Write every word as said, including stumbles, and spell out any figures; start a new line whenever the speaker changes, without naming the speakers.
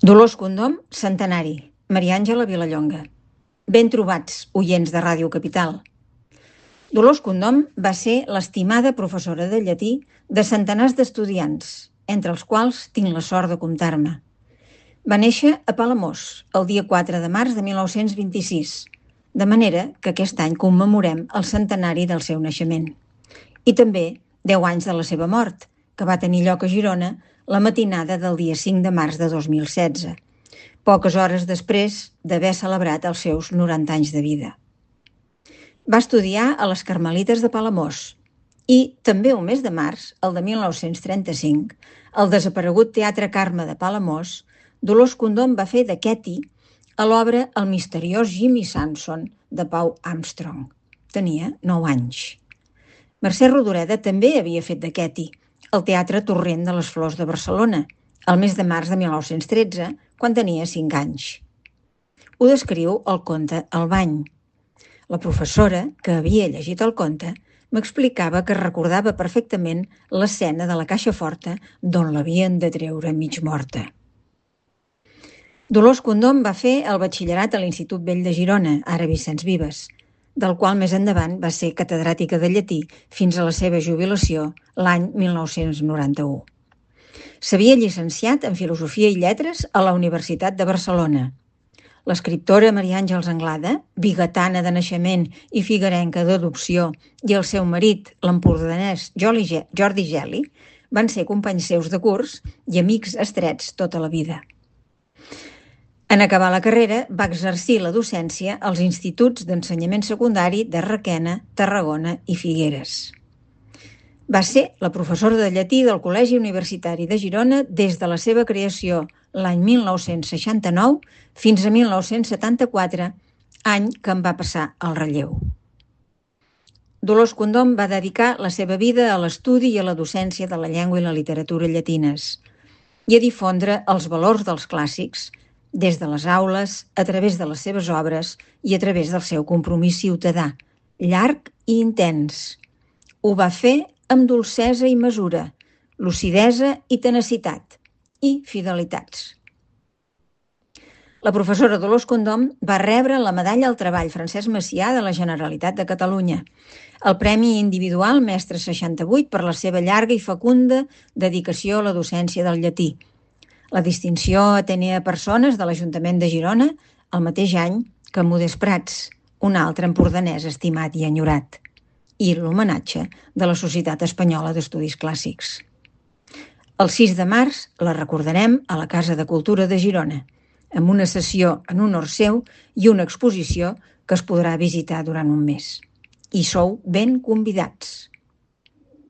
Dolors Condom, centenari. Maria Àngela Vilallonga. Ben trobats, oients de Ràdio Capital. Dolors Condom va ser l'estimada professora de llatí de centenars d'estudiants, entre els quals tinc la sort de comptar-me. Va néixer a Palamós, el dia quatre de març de mil nou-cents vint-i-sis, de manera que aquest any commemorem el centenari del seu naixement. I també deu anys de la seva mort, que va tenir lloc a Girona la matinada del dia cinc de març de dos mil setze, poques hores després d'haver celebrat els seus noranta anys de vida. Va estudiar a les Carmelites de Palamós i també un mes de març, el de mil nou-cents trenta-cinc, al desaparegut Teatre Carme de Palamós, Dolors Condom va fer de Ketty a l'obra El misteriós Jimmy Samson de Pau Armstrong. Tenia nou anys. Mercè Rodoreda també havia fet de Ketty al Teatre Torrent de les Flors de Barcelona, el mes de març de mil nou-cents tretze, quan tenia cinc anys. Ho descriu el conte El bany. La professora, que havia llegit el conte, m'explicava que recordava perfectament l'escena de la caixa forta d'on l'havien de treure mig morta. Dolors Condom va fer el batxillerat a l'Institut Vell de Girona, ara Vicenç Vives, del qual més endavant va ser catedràtica de llatí fins a la seva jubilació l'any mil nou-cents noranta-u. S'havia llicenciat en Filosofia i Lletres a la Universitat de Barcelona. L'escriptora Maria Àngels Anglada, bigatana de naixement i figuerenca d'adopció, i el seu marit, l'empordanès Jordi Geli, van ser companys seus de curs i amics estrets tota la vida. En acabar la carrera, va exercir la docència als instituts d'ensenyament secundari de Requena, Tarragona i Figueres. Va ser la professora de llatí del Col·legi Universitari de Girona des de la seva creació l'any mil nou-cents seixanta-nou fins a mil nou-cents setanta-quatre, any que en va passar el relleu. Dolors Condom va dedicar la seva vida a l'estudi i a la docència de la llengua i la literatura llatines i a difondre els valors dels clàssics des de les aules, a través de les seves obres i a través del seu compromís ciutadà, llarg i intens. Ho va fer amb dolcesa i mesura, lucidesa i tenacitat, i fidelitats. La professora Dolors Condom va rebre la Medalla al Treball Francesc Macià de la Generalitat de Catalunya, el Premi Individual Mestre seixanta-vuit per la seva llarga i fecunda dedicació a la docència del llatí, la distinció Atenea Persones de l'Ajuntament de Girona el mateix any que Modest Prats, un altre empordanès estimat i enyorat, i l'homenatge de la Societat Espanyola d'Estudis Clàssics. El sis de març la recordarem a la Casa de Cultura de Girona, amb una sessió en honor seu i una exposició que es podrà visitar durant un mes. Hi sou ben convidats.